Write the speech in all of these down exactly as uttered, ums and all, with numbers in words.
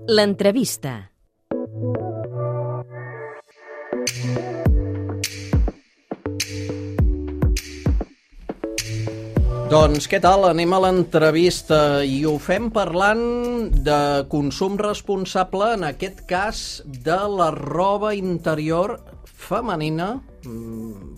L'entrevista. Doncs què tal? Anem a l'entrevista i ho fem parlant de consum responsable, en aquest cas de la roba interior femenina,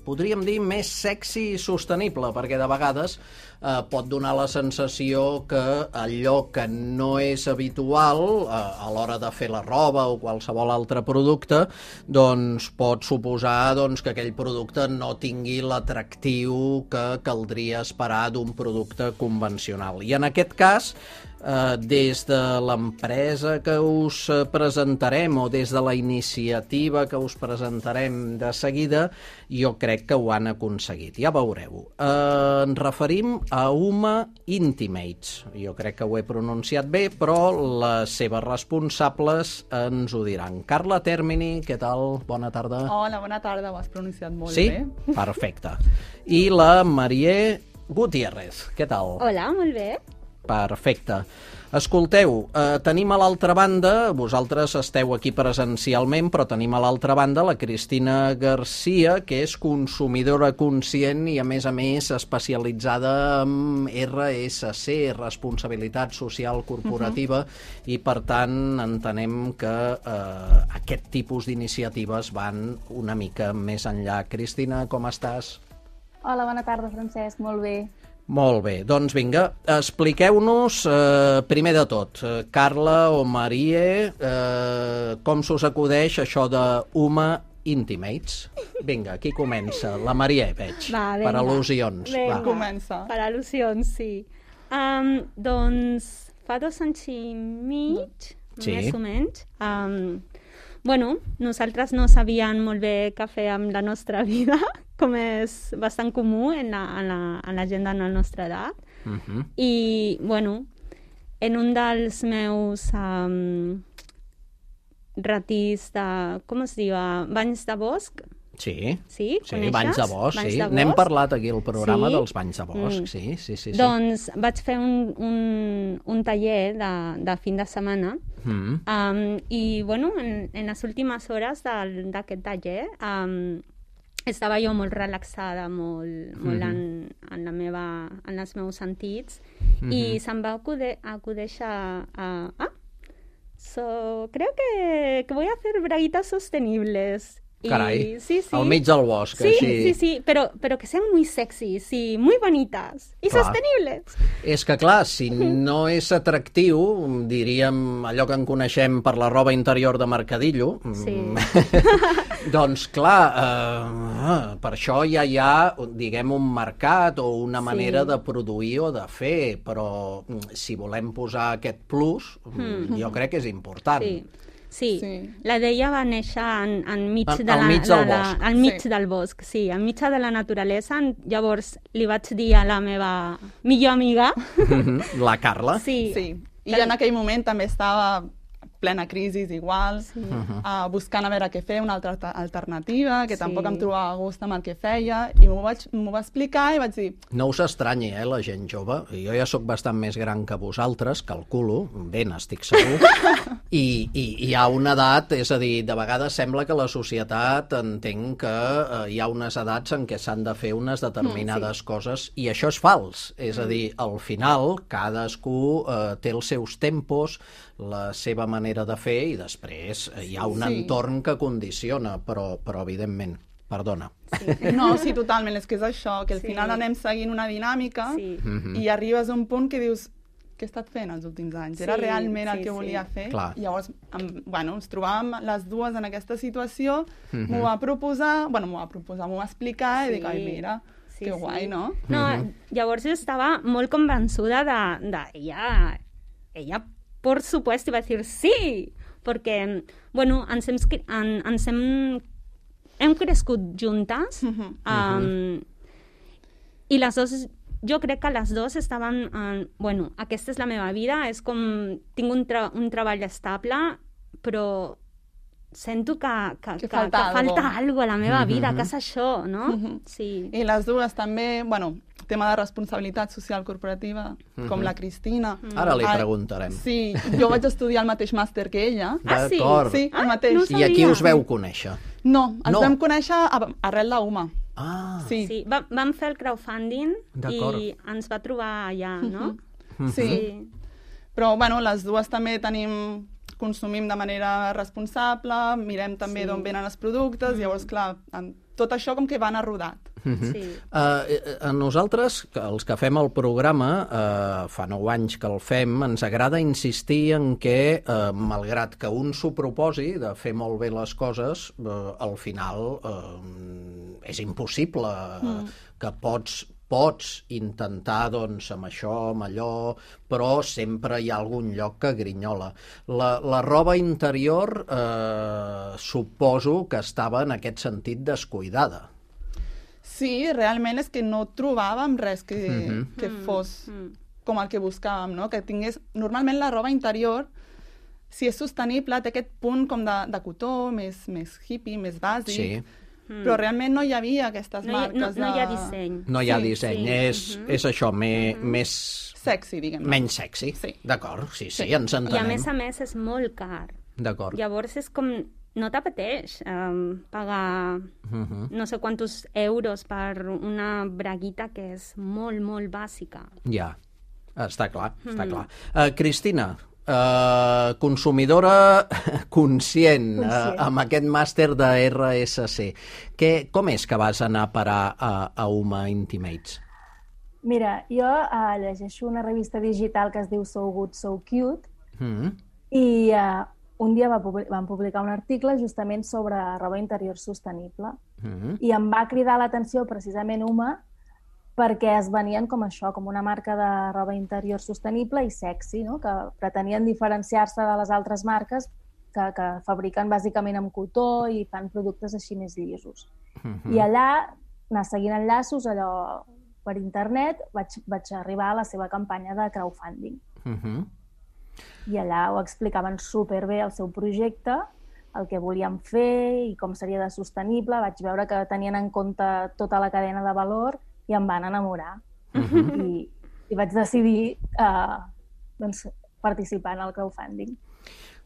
podríem dir més sexy i sostenible, perquè de vegades eh, pot donar la sensació que allò que no és habitual eh, a l'hora de fer la roba o qualsevol altre producte, doncs pot suposar doncs, que aquell producte no tingui l'atractiu que caldria esperar d'un producte convencional. I en aquest cas, eh, des de l'empresa que us presentarem o des de la iniciativa que us presentarem de seguida, jo crec que ho han aconseguit. Ja veureu. Eh, ens referim a Uma Intimates. Jo crec que ho he pronunciat bé, però les seves responsables ens ho diran. Carla Termini, què tal? Bona tarda. Hola, bona tarda. Ho has pronunciat molt sí? bé. Sí? Perfecte. I la Marié Gutiérrez. Què tal? Hola, molt bé. Perfecte. Escolteu, eh, tenim a l'altra banda, vosaltres esteu aquí presencialment, però tenim a l'altra banda la Cristina Garcia, que és consumidora conscient i, a més a més, especialitzada en R S C, Responsabilitat Social Corporativa, uh-huh. i, per tant, entenem que eh, aquest tipus d'iniciatives van una mica més enllà. Cristina, com estàs? Hola, bona tarda, Francesc, molt bé. Molt bé, doncs vinga, expliqueu-nos, eh, primer de tot, eh, Carla o Marie, eh, com s'us acudeix això de Uma Intimates? Vinga, qui comença? La Marie, veig, Va, per al·lusions. Vinga, Va. Comença. Per al·lusions, sí. Um, doncs fa dos anys i mig, sí. més o menys, um, bueno, nosaltres no sabíem molt bé què fer amb la nostra vida, com és bastant comú en la, en la, en la gent de la nostra edat. Uh-huh. I, bueno, en un dels meus um, ratirs de, com es diu, banys de bosc. Sí, sí, sí banys de bosc, banys sí. de bosc? N'hem parlat aquí al programa sí? dels banys de bosc, mm. sí, sí, sí, sí. Doncs vaig fer un, un, un taller de, de fin de setmana mm. um, i, bueno, en, en les últimes hores d'aquest taller um, estava jo molt relaxada, molt, molt mm-hmm. en, en, la meva, en els meus sentits, mm-hmm. i se'm va acudir, acudeixer a... Ah, so, creo que, que voy a hacer braguitas sostenibles. Carai, y, sí, sí. al mig del bosc, sí, així. Sí, sí, pero, pero que sean muy sexys y muy bonitas y clar. Sostenibles. És que, clar, si no és atractiu, diríem allò que en coneixem per la roba interior de Mercadillo, sí. doncs, clar, eh, per això ja hi ha, diguem, un mercat o una manera sí. de produir o de fer, però si volem posar aquest plus, mm. jo crec que és important. Sí. Sí. sí, la d'ella va néixer en, en mig, al, de la, al mig del la, bosc. La, al mig sí. del bosc, sí, al mig de la naturalesa. Llavors li vaig dir a la meva millor amiga... La Carla. Sí. sí. I jo en aquell moment també estava plena crisi igual, sí. uh, buscant a veure què fer, una altra alternativa, que sí. tampoc em trobava a gust amb el que feia, i m'ho vaig, m'ho va explicar i vaig dir... No us estranyi, eh, la gent jove. Jo ja sóc bastant més gran que vosaltres, calculo, ben estic segur, i, i hi ha una edat, és a dir, de vegades sembla que la societat entén que eh, hi ha unes edats en què s'han de fer unes determinades mm, sí. coses, i això és fals. És a dir, al final, cadascú eh, té els seus tempos, la seva manera de fer, i després hi ha un sí. entorn que condiciona, però, però evidentment, perdona. Sí. No, sí, totalment, és que és això, que al sí. final anem seguint una dinàmica sí. i arribes a un punt que dius, què he estat fent els últims anys? Sí, Era realment sí, el que volia sí. fer? Clar. Llavors, em, bueno, ens trobàvem les dues en aquesta situació, mm-hmm. m'ho va proposar, bueno, m'ho va proposar, m'ho va explicar, sí. i dic, ai, mira, sí, que guai, sí. no? No, mm-hmm. llavors jo estava molt convençuda de, de ella, ella por supuesto, iba a decir sí, porque, bueno, ens hem, en, ens hem, hem crescut juntes, uh-huh. um, i les dues, jo crec que les dues estaven, en, bueno, aquesta és la meva vida, és com, tinc un, tra un treball estable, però sento que, que, que, que, falta, que falta alguna cosa a la meva vida, mm-hmm. que és això, no? Mm-hmm. Sí. I les dues també, bueno, tema de responsabilitat social corporativa, mm-hmm. com la Cristina. Mm. Ara li preguntarem. Sí, jo vaig estudiar el mateix màster que ella. Ah, sí? Sí, el mateix. Ah, no I aquí us veu conèixer? No, ens no. vam conèixer arrel d'Uma. Ah. Sí. Sí, va, vam fer el crowdfunding i ens va trobar allà, no? Mm-hmm. Sí. sí. Però, bueno, les dues també tenim... consumim de manera responsable, mirem també sí. d'on venen els productes, mm. llavors, clar, tot això com que va anar rodat. Mm-hmm. sí. uh, nosaltres, els que fem el programa, uh, fa nou anys que el fem, ens agrada insistir en que, uh, malgrat que un s'ho proposi de fer molt bé les coses, uh, al final uh, és impossible, uh, mm. que pots pots intentar, doncs, amb això, amb allò, però sempre hi ha algun lloc que grinyola. La, la roba interior eh, suposo que estava en aquest sentit descuidada. Sí, realment és que no trobàvem res que, mm-hmm. que fos com el que buscàvem, no? Que tingués... Normalment la roba interior, si és sostenible, té aquest punt com de, de cotó, més, més hippie, més bàsic, sí. Però realment no hi havia aquestes no hi, marques. No, no hi ha disseny. No hi ha sí, disseny, sí. és, uh-huh. és això, me, uh-huh. més... Sexy, diguem-ne. Menys sexy, sí. D'acord, sí, sí, sí, ens entenem. I a més a més és molt car. D'acord. Llavors és com... No t'apeteix um, pagar uh-huh. no sé quantos euros per una braguita que és molt, molt bàsica. Ja, està clar, uh-huh. està clar. Uh, Cristina, Uh, consumidora conscient, conscient. Uh, amb aquest màster de R S C. Que, com és que vas anar a parar a, a Uma Intimates? Mira, jo uh, llegeixo una revista digital que es diu So Good, So Cute mm-hmm. i uh, un dia va publi- van publicar un article justament sobre roba interior sostenible mm-hmm. i em va cridar l'atenció precisament Uma perquè es venien com això, com una marca de roba interior sostenible i sexy, no? Que pretenien diferenciar-se de les altres marques que, que fabriquen bàsicament amb cotó i fan productes així més llisos. Uh-huh. I allà, anar seguint enllaços, allò per internet, vaig, vaig arribar a la seva campanya de crowdfunding. Uh-huh. I allà ho explicaven superbé el seu projecte, el que volien fer i com seria de sostenible. Vaig veure que tenien en compte tota la cadena de valor i em van enamorar. Uh-huh. I, i vaig decidir uh, doncs, participar en el crowdfunding.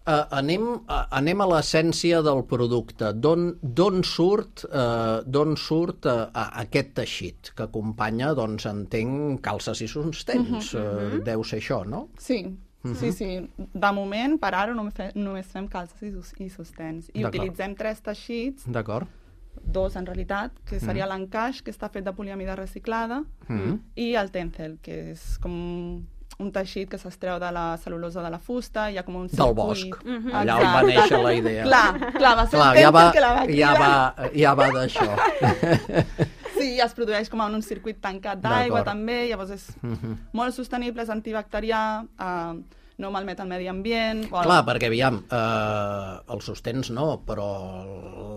Uh, anem, uh, anem a l'essència del producte. D'on surt, uh, d'on surt uh, aquest teixit que acompanya, doncs, entenc, calces i sostens. Uh-huh. Uh, deu ser això, no? Sí. Uh-huh. Sí, sí. De moment, per ara, només fem, només fem calces i sostens. I D'acord. Utilitzem tres teixits. D'acord. Dos, en realitat, que seria mm. l'encaix, que està fet de poliamida reciclada, mm. i el tencel, que és com un teixit que s'estreu de la cel·lulosa de la fusta, hi ha com un circuit... Del bosc. Mm-hmm. Allà on va néixer la idea. Clar, clar, va ser clar, el tencel ja va, que la va ja va, ja va d'això. Sí, es produeix com en un circuit tancat d'aigua, també, llavors és mm-hmm. molt sostenible, és antibacterià, eh, no malmet el medi ambient... O Clar, el... perquè, aviam, eh, els sostens no, però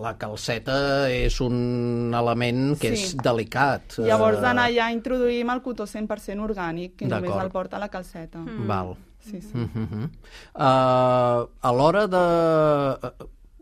la calceta és un element que sí. és delicat. Llavors, d'anar allà introduïm el cotó cent per cent orgànic, que només el porta la calceta. Mm. Val. Sí, sí. Mm-hmm. Uh, a l'hora de...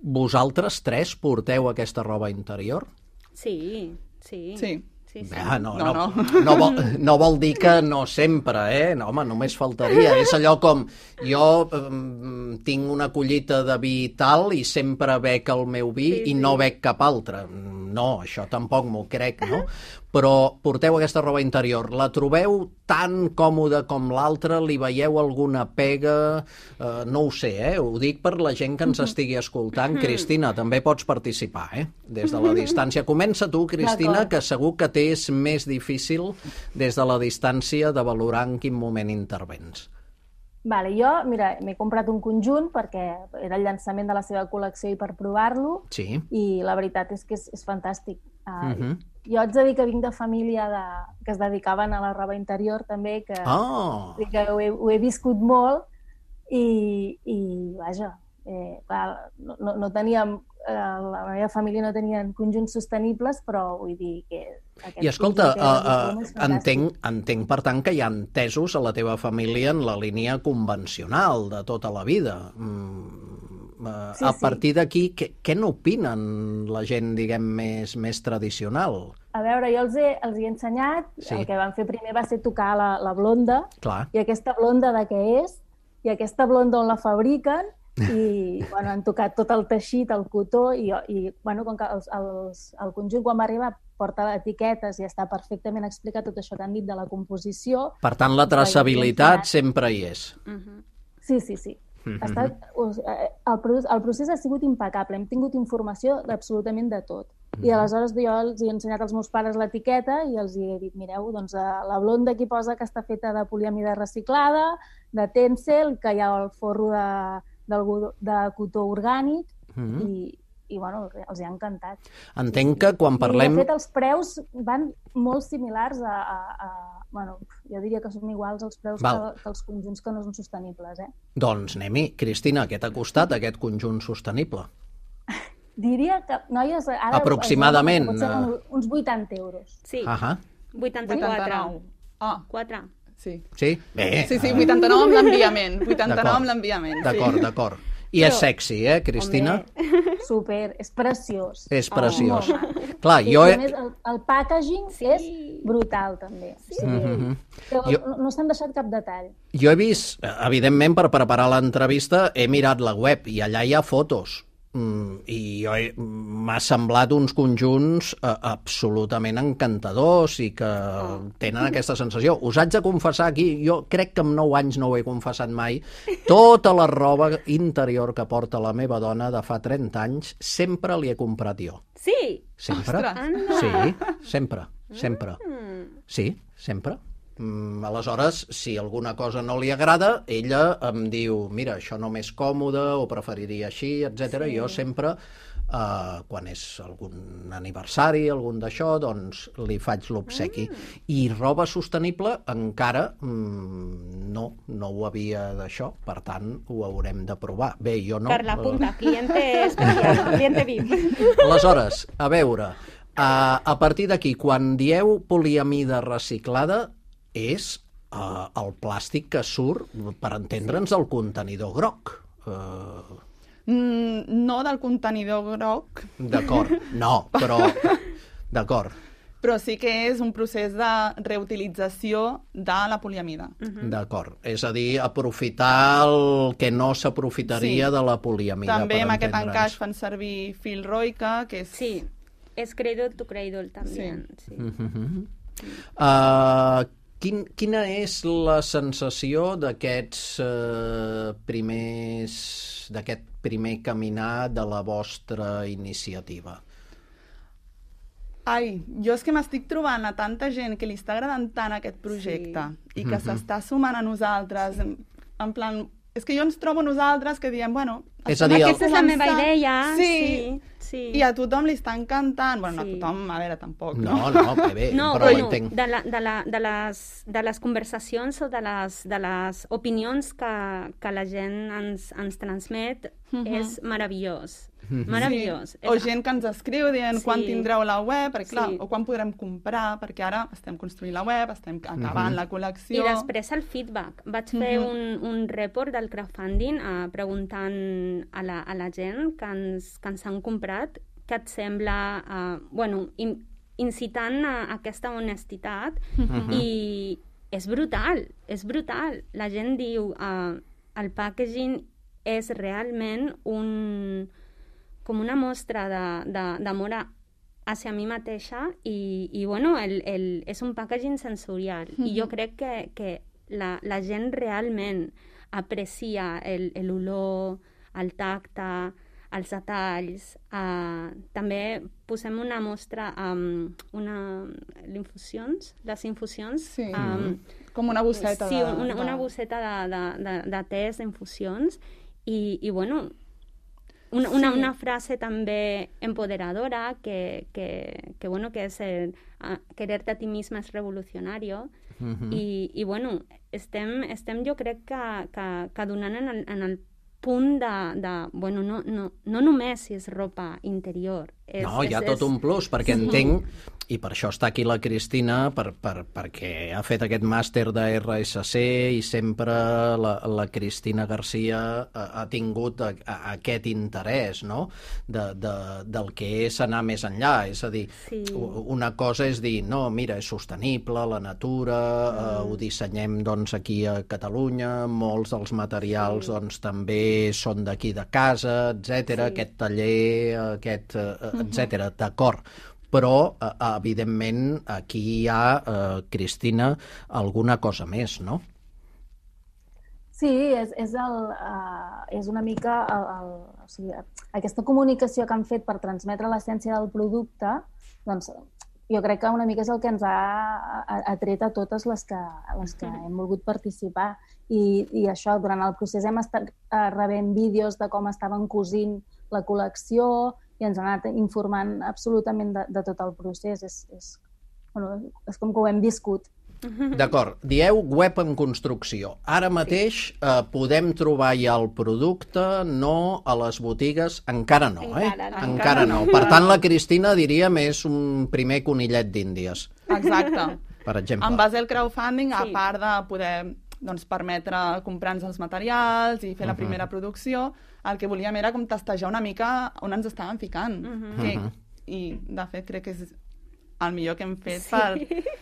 Vosaltres tres porteu aquesta roba interior? Sí, sí. Sí. Sí, sí. Ah, no, no, no. No, vol, no vol dir que no sempre, eh? No, home, només faltaria. És allò com, jo um, tinc una collita de vi tal i sempre bec el meu vi sí, i sí. no bec cap altre. No, això tampoc m'ho crec, no? Però porteu aquesta roba interior. La trobeu tan còmoda com l'altra? Li veieu alguna pega? Uh, no ho sé, eh? Ho dic per la gent que ens estigui escoltant. Cristina, també pots participar, eh? Des de la distància. Comença tu, Cristina, que segur que t'és més difícil des de la distància de valorar en quin moment intervens. Vale, jo, mira, m'he comprat un conjunt perquè era el llançament de la seva col·lecció i per provar-lo, sí. i la veritat és que és, és fantàstic. Uh, uh-huh. Jo haig de dir que vinc de família de, que es dedicaven a la roba interior també, que, oh. que ho, he, ho he viscut molt i, i vaja, eh, clar, no, no, no teníem, eh, la meva família no tenien conjunts sostenibles, però vull dir que... I escolta, uh, uh, entenc, entenc per tant que hi ha entesos a la teva família en la línia convencional de tota la vida. Mm, Uh, sí, a partir sí. d'aquí, què, què n'opinen la gent, diguem, més, més tradicional? A veure, jo els he, els he ensenyat, sí. El que van fer primer va ser tocar la, la blonda, clar. I aquesta blonda de què és, i aquesta blonda on la fabriquen, i bueno, han tocat tot el teixit, el cotó, i, i bueno, com que els, els, el conjunt quan va arribar porta etiquetes i està perfectament explicat tot això que han dit de la composició. Per tant, la traçabilitat sempre hi és. Uh-huh. Sí, sí, sí. Ha estat, el, el procés ha sigut impecable, hem tingut informació absolutament de tot. I aleshores jo els he ensenyat als meus pares l'etiqueta i els he dit, mireu, doncs la blonda aquí posa que està feta de poliamida reciclada, de Tencel, que hi ha el forro de, de, de cotó orgànic, mm-hmm. i, i bueno, els ha encantat. Entenc que quan parlem... I de fet els preus van molt similars a... a, a bueno, jo diria que són iguals els preus que, que els conjunts que no són sostenibles, eh? Doncs anem-hi. Cristina, què t'ha costat aquest conjunt sostenible? Diria que, noies... Ara, aproximadament... Potser uns vuitanta euros. Sí, uh-huh. vuitanta-quatre. Ah, quatre. Sí. Sí? Bé. Sí, sí, vuitanta-nou amb l'enviament. vuitanta-nou amb l'enviament. D'acord, sí. d'acord. I és sexy, eh, Cristina? Home, super, és preciós. És preciós. Oh, clar, sí, jo... He... Més, el, el packaging sí. és brutal, també. Sí. Sí. Mm-hmm. jo... No, no s'han deixat cap detall. Jo he vist, evidentment, per preparar l'entrevista, he mirat la web i allà hi ha fotos. Mm, i jo he... m'ha semblat uns conjunts eh, absolutament encantadors i que tenen aquesta sensació. Us haig de confessar aquí, jo crec que amb nou anys no ho he confessat mai, tota la roba interior que porta la meva dona de fa trenta anys sempre li he comprat jo. Sí? Sempre. Sí, sempre, sempre. Sí, sempre. Mm, aleshores, si alguna cosa no li agrada, ella em diu, mira, això no m'és còmode o preferiria així, etcètera. Sí. Jo sempre, eh, quan és algun aniversari, algun d'això, doncs li faig l'obsequi. Mm. I roba sostenible encara mm, no, no ho havia d'això, per tant, ho haurem de provar. Bé, jo no. Per la punta, cliente especial, cliente V I P. Aleshores, a veure, a, a partir d'aquí, quan dieu poliamida reciclada, és uh, el plàstic que surt, per entendre'ns, del contenidor groc. Uh... Mm, no del contenidor groc. D'acord, no, però... D'acord. Però sí que és un procés de reutilització de la poliamida. Uh-huh. D'acord. És a dir, aprofitar el que no s'aprofitaria sí. de la poliamida. També amb aquest encaix fan servir fil Roika, que és... Sí, és cradle to cradle, també. Sí. Sí. Uh-huh. Uh, Quin, quina és la sensació d'aquests eh, primers, d'aquest primer caminar de la vostra iniciativa? Ai, jo és que m'estic trobant a tanta gent que li està agradant tant aquest projecte sí. i que uh-huh. s'està sumant a nosaltres, en, en plan... És que jo ens trobo nosaltres que diem, bueno... És a dir, aquesta és la meva idea, sí, sí, sí. I a tothom li està encantant. Bueno, sí. no a tothom, a veure, tampoc. No, no, no que bé, no, però bueno, ho entenc. De, la, de, la, de, les, de les conversacions o de les, de les opinions que, que la gent ens, ens transmet uh-huh. és meravellós. Uh-huh. Meravellós. Sí. O gent que ens escriu dient sí. quan tindreu la web, perquè clar, sí. o quan podrem comprar, perquè ara estem construint la web, estem acabant uh-huh. la col·lecció... I després el feedback. Vaig fer uh-huh. un, un report del crowdfunding uh, preguntant a la, a la gent que ens, que ens han comprat què et sembla, uh, bueno, in, incitant a aquesta honestitat uh-huh. i és brutal, és brutal. La gent diu uh, el packaging és realment un... com una mostra d'amor hacia mi mateixa i, i bueno, el, el, és un packaging sensorial. Mm-hmm. I jo crec que, que la, la gent realment aprecia l'olor, el tacte, els detalls. Uh, també posem una mostra, um, una, infusions, les infusions. Sí, um, com una bosseta. Sí, de, una, de... una bosseta de, de, de, de tés, d'infusions. I, i bueno... Una, una, una frase també empoderadora que, que, que, bueno, que és el, uh, quererte a ti misma és revolucionario uh-huh. i, i bueno, estem, estem jo crec que, que, que donant en el, en el punt de, de bueno, no, no, no només si és ropa interior, És, no, hi ha és, tot un plus, perquè sí. entenc, i per això està aquí la Cristina, per, per, perquè ha fet aquest màster de R S C i sempre la, la Cristina Garcia ha, ha tingut a, a, aquest interès, no?, de, de, del que és anar més enllà. És a dir, sí. una cosa és dir, no, mira, és sostenible, la natura, mm. eh, ho dissenyem doncs, aquí a Catalunya, molts dels materials sí. doncs, també són d'aquí de casa, etcètera, sí. aquest taller, aquest, etcètera, mm-hmm. d'acord. Però, eh, evidentment, aquí hi ha, eh, Cristina, alguna cosa més, no? Sí, és, és, el, uh, és una mica el, el, o sigui, aquesta comunicació que han fet per transmetre l'essència del producte, doncs jo crec que una mica és el que ens ha atret a totes les que, les que hem volgut participar. I, i això, durant el procés hem estat uh, rebent vídeos de com estaven cosint la col·lecció, i ens han anat informant absolutament de, de tot el procés. És, és, bueno, és com que ho hem viscut. D'acord. Dieu web en construcció. Ara mateix sí. eh, podem trobar ja el producte, no a les botigues, encara no, eh? Encara no. Encara no. Per tant, la Cristina, diríem, és un primer conillet d'Índies. Exacte. Per exemple. En base al crowdfunding, sí. a part de poder doncs, permetre comprar-nos els materials i fer la primera uh-huh. producció, el que volíem era com testejar una mica on ens estàvem ficant. Uh-huh. Que, I, de fet, crec que és el millor que hem fet sí. per...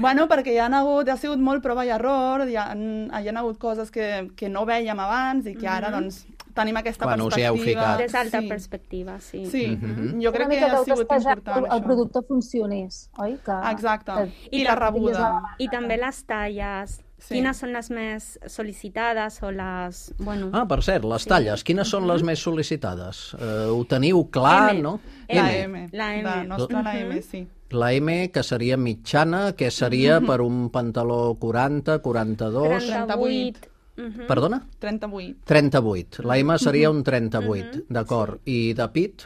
Bueno, perquè hi ha hagut, ha sigut molt prova i error, hi ha, hi ha hagut coses que, que no vèiem abans i que ara, uh-huh. doncs, tenim aquesta Quan perspectiva. Des d'alta sí. perspectiva, sí. Sí, uh-huh. jo crec que ha sigut important, el, el producte funcionés, oi? Que, Exacte, que, i, i la rebuda. I també les talles, sí. quines són les més sol·licitades o les... Bueno, ah, per cert, les talles, sí. quines són uh-huh. les més sol·licitades? Uh, ho teniu clar, M. no? La M. La M. La nostra, uh-huh. la M, sí. La M, que seria mitjana, que seria uh-huh. per un pantaló quaranta, quaranta-dos... trenta-vuit. Uh-huh. Perdona? trenta-vuit. trenta-vuit. La M seria un trenta-vuit, uh-huh. d'acord. Sí. I de pit?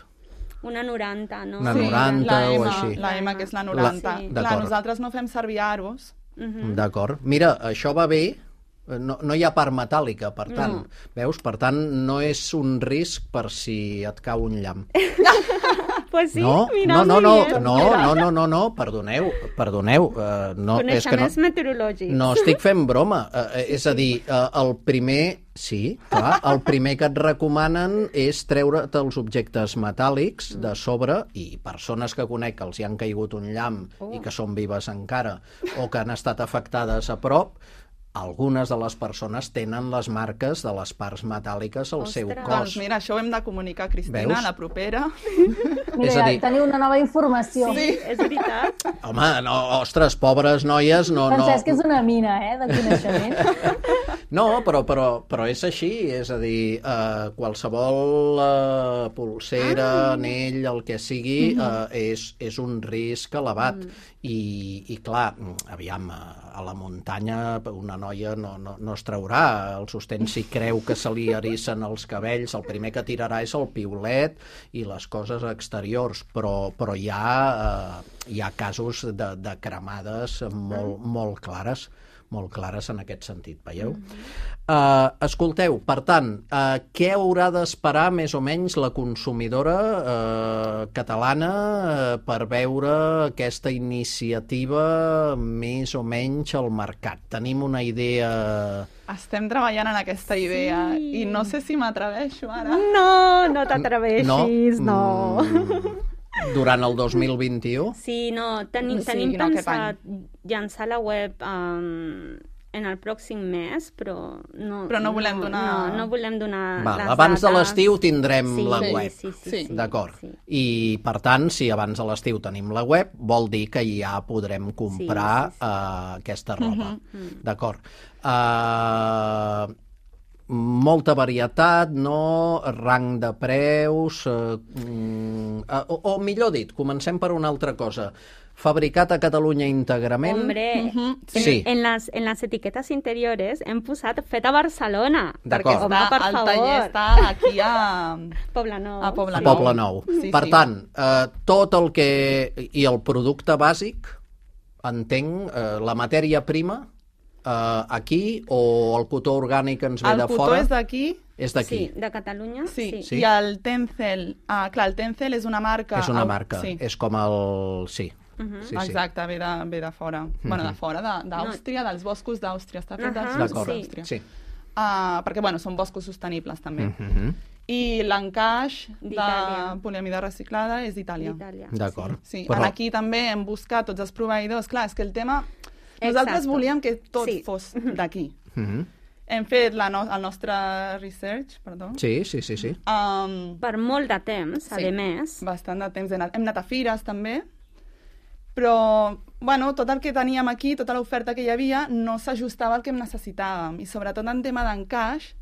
Una noranta, no? Una noranta sí, o M, així. La M, que és la noranta. Sí. Clar, nosaltres no fem servir aros. Uh-huh. D'acord. Mira, això va bé, no, no hi ha part metàl·lica, per tant, no. veus? Per tant, no és un risc per si et cau un llamp. Pues sí, no, mira, no, no, no, no, no, no, no, no, perdoneu, perdoneu. Uh, no, és que no, meteorològics. No estic fent broma. Uh, és a dir, uh, el primer... Sí, clar, el primer que et recomanen és treure't els objectes metàl·lics de sobre, i persones que conec que els hi han caigut un llamp oh. i que són vives encara, o que han estat afectades a prop, algunes de les persones tenen les marques de les parts metàl·liques al Ostres. seu cos. Doncs mira, això ho hem de comunicar a Cristina, Veus? la propera. Mira, és a dir... teniu una nova informació. Sí, és veritat. Home, no, ostres, pobres noies, no... Francesc no... és una mina, eh, de coneixement. No, però, però, però és així, és a dir, eh, qualsevol eh, pulsera, ah. anell, el que sigui, mm-hmm. eh, és, és un risc elevat. Mm. I, i clar, aviam, a la muntanya una noia no, no, no es traurà el sostén si creu que se li erissen els cabells, el primer que tirarà és el piulet i les coses exteriors, però, però hi ha, eh, hi ha casos de, de cremades molt, molt clares. molt clares en aquest sentit, veieu? Mm-hmm. Uh, escolteu, per tant, uh, què haurà d'esperar més o menys la consumidora uh, catalana uh, per veure aquesta iniciativa més o menys al mercat? Tenim una idea... Estem treballant en aquesta idea sí. i no sé si m'atreveixo ara. No, no t'atreveixis, no. no. Mm. Durant el dos mil vint-i-u? Sí, no, tenim, sí, tenim no, pensat llançar la web um, en el pròxim mes, però no... Però no volem donar... No, no volem donar Val, les abans dates. de l'estiu tindrem sí, la sí, web. Sí, sí, sí, sí, D'acord. Sí. I, per tant, si abans de l'estiu tenim la web, vol dir que ja podrem comprar sí, sí, sí. Uh, aquesta roba. Uh-huh. D'acord. Uh, molta varietat, no? Rang de preus... Uh, uh, o, o millor dit, comencem per una altra cosa. Fabricat a Catalunya íntegrament. Hombre, uh-huh. sí. en, en, les, en les etiquetes interiores hem posat fet a Barcelona. Perquè està, home, per el favor. taller està aquí a... Poblenou. A Poblenou. A Poblenou. Sí, per sí. tant, eh, tot el que... I el producte bàsic, entenc, eh, la matèria prima, eh, aquí, o el cotó orgànic ens ve el de fora? El cotó és d'aquí, És d'aquí? Sí, de Catalunya. Sí, sí. sí. I el Tencel, ah, clar, el Tencel és una marca... És una marca, sí. És com el... Sí. Uh -huh. sí, Exacte, sí. Ve, de, ve de fora. Uh -huh. Bueno, de fora, d'Àustria, no. dels boscos d'Àustria. Està fet uh -huh. dels boscos d'Àustria. Sí. Uh, perquè, bueno, són boscos sostenibles, també. Uh -huh. I l'encaix de poliamida reciclada és d'Itàlia. D'acord. Sí. sí. Però... Aquí també hem buscat tots els proveïdors. Clar, és que el tema... Nosaltres Exacte. volíem que tot sí. fos d'aquí. Uh -huh. Hem fet la no el nostre research, perdó. Sí, sí, sí. sí. Um, per molt de temps, sí, a més. Bastant de temps. Hem anat, hem anat a fires, també. Però, bueno, tot el que teníem aquí, tota l'oferta que hi havia, no s'ajustava al que necessitàvem. I sobretot en tema d'encaix,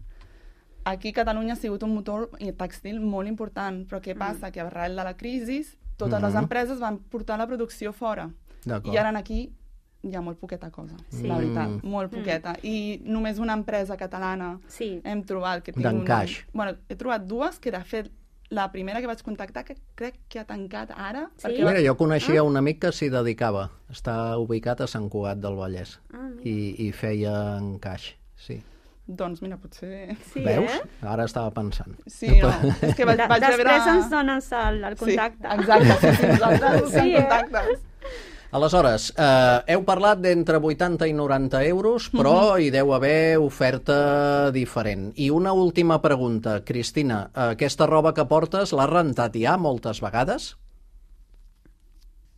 aquí a Catalunya ha sigut un motor tèxtil molt important. Però què passa? Mm. Que arrel de la crisi, totes mm-hmm. les empreses van portar la producció fora. I ara aquí hi ha molt poqueta cosa, sí. la veritat, molt poqueta. Mm. I només una empresa catalana sí. hem trobat que té d'encaix. Un... Bueno, he trobat dues, que de fet la primera que vaig contactar, que crec que ha tancat ara. Sí? Perquè... Mira, jo coneixia ah. un amic que s'hi dedicava. Està ubicat a Sant Cugat del Vallès. Ah, I, i feia encaix, sí. Doncs mira, potser... Sí, veus? Eh? Ara estava pensant. Sí, no, és que vaig, vaig Després veure... ens dones el, el contacte. Sí, exacte, sí, sí, nosaltres sí, eh? contactes. Aleshores, eh, heu parlat d'entre vuitanta i noranta euros, però uh-huh. hi deu haver oferta diferent. I una última pregunta, Cristina. Aquesta roba que portes l'has rentat ja moltes vegades?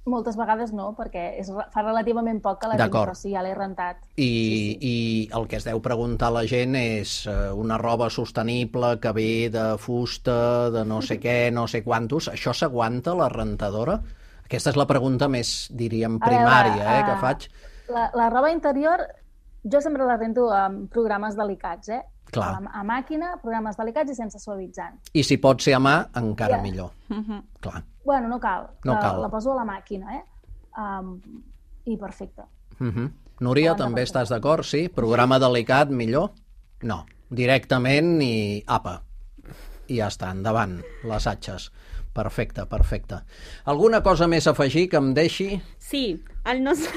Moltes vegades no, perquè és, fa relativament poc que la tinc, però sí, ja l'he rentat. I, sí, sí. I el que es deu preguntar a la gent és uh, una roba sostenible que ve de fusta, de no sé què, no sé quantos. Això s'aguanta la rentadora? Aquesta és la pregunta més, diríem, primària veure, eh, que faig. La, la roba interior, jo sempre la rento amb programes delicats, eh? Clar. A, a màquina, programes delicats i sense suavitzant. I si pot ser a mà, encara yeah. millor. Uh-huh. Clar. Bueno, no cal. No la, cal. La poso a la màquina, eh? Um, I perfecte. Uh-huh. Núria, Abans també estàs d'acord? Sí? Programa delicat, millor? No. Directament i apa. I ja està, endavant, les atxes. Perfecte, perfecte. Alguna cosa més a afegir que em deixi? Sí, el nostre,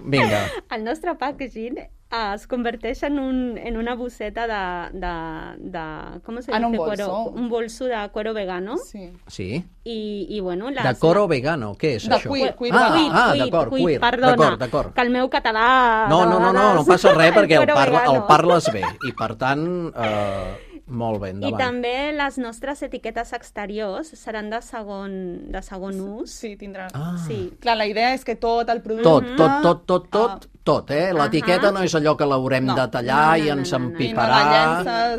Vinga. el nostre packaging es converteix en, un, en una bosseta de, de, de com se dice? Un bolso. Cuero, un bolso de cuero vegano. Sí. sí. I, i bueno... Les... De coro vegano, què és de això? Cuir, cuir, ah, cuir, ah, cuir, d'acord, cuir, cuir. Perdona, d'acord. Que el meu català... No, no, no, no, no passa res perquè el, parla, el parles bé i per tant... Eh... Molt bé, endavant. I també les nostres etiquetes exteriors seran de segon, de segon ús. Sí, tindrà. Ah. Sí. Clar, la idea és que tot el producte... Tot, tot, tot, tot, tot, uh, tot, eh? L'etiqueta uh -huh. no és allò que l'haurem no. de tallar no, no, i ens empiparà...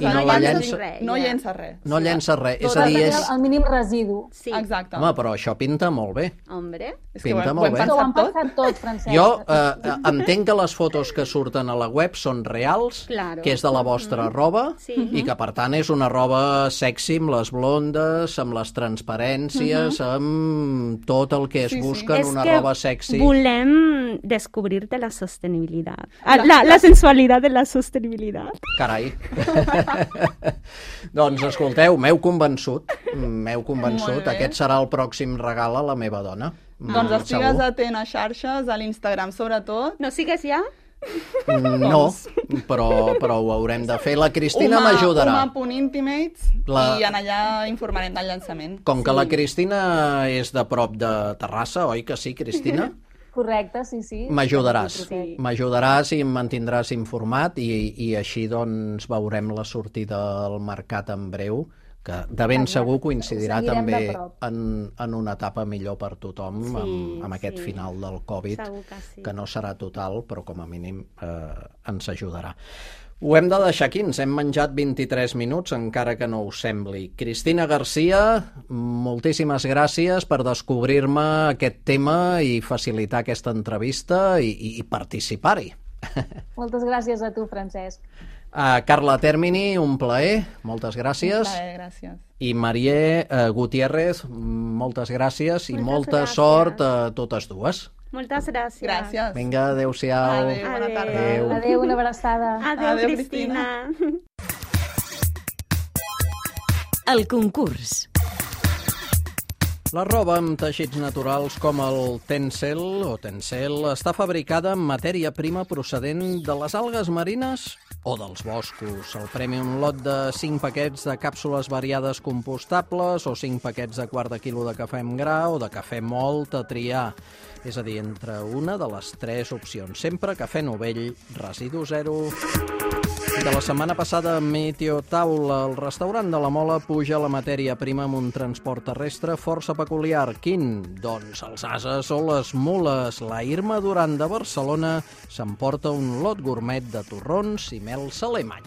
I no la llences, i no llença res. No llença res. Tot és a dir, és... el mínim residu. Sí. Exacte. Home, però això pinta molt bé. Hombre. És que pinta ho, molt ho bé. Ho hem pensat tot, Francesc. Jo eh, entenc que les fotos que surten a la web són reals, claro. que és de la vostra mm-hmm. roba, sí. i que, per tant, és una roba sexy, amb les blondes, amb les transparències, mm-hmm. amb tot el que es sí, busca sí. en una roba sexy. És que volem descobrir-te la sostenibilitat. La, la, la sensualitat de la sostenibilitat. Carai. Doncs, escolteu, m'heu convençut, m'heu convençut. Aquest serà el pròxim regal a la meva dona. Doncs estigues atent a xarxes, a l'Instagram sobretot. No sigues ja? No, però, però ho haurem de fer. La Cristina m'ajudarà. Uma.intimates la... i en allà informarem del llançament. Com que sí. la Cristina és de prop de Terrassa, oi que sí, Cristina? Correcte, sí, sí. M'ajudaràs. Sí. M'ajudaràs i em mantindràs informat i, i així doncs veurem la sortida al mercat en breu, que de ben segur coincidirà també en, en una etapa millor per tothom, sí, amb, amb aquest sí. final del Covid, que, sí. que no serà total, però com a mínim eh, ens ajudarà. Ho hem de deixar aquí, ens hem menjat vint-i-tres minuts, encara que no us sembli. Cristina Garcia, moltíssimes gràcies per descobrir-me aquest tema i facilitar aquesta entrevista i, i, i participar-hi. Moltes gràcies a tu, Francesc. Uh, Carla Termini, un plaer, moltes gràcies. Un plaer, gràcies. I Marié uh, Gutiérrez, moltes gràcies i moltes molta gràcies. sort a totes dues. Moltes gràcies. Gràcies. Vinga, adéu-siau. Adéu, bona tarda. Adéu, adéu una abraçada. Adéu, adéu Cristina. Cristina. El concurs. La roba amb teixits naturals com el Tencel o Tencel està fabricada amb matèria prima procedent de les algues marines o dels boscos. El premi, un lot de cinc paquets de càpsules variades compostables o cinc paquets de quart de quilo de cafè amb gra o de cafè mòlt a triar. És a dir, entre una de les tres opcions. Sempre cafè novell, residu zero. De la setmana passada, Meteotaula, el restaurant de la Mola puja la matèria prima amb un transport terrestre força peculiar. Quin? Doncs els ases o les mules. La Irma Duran de Barcelona s'emporta un lot gourmet de torrons i mels alemany.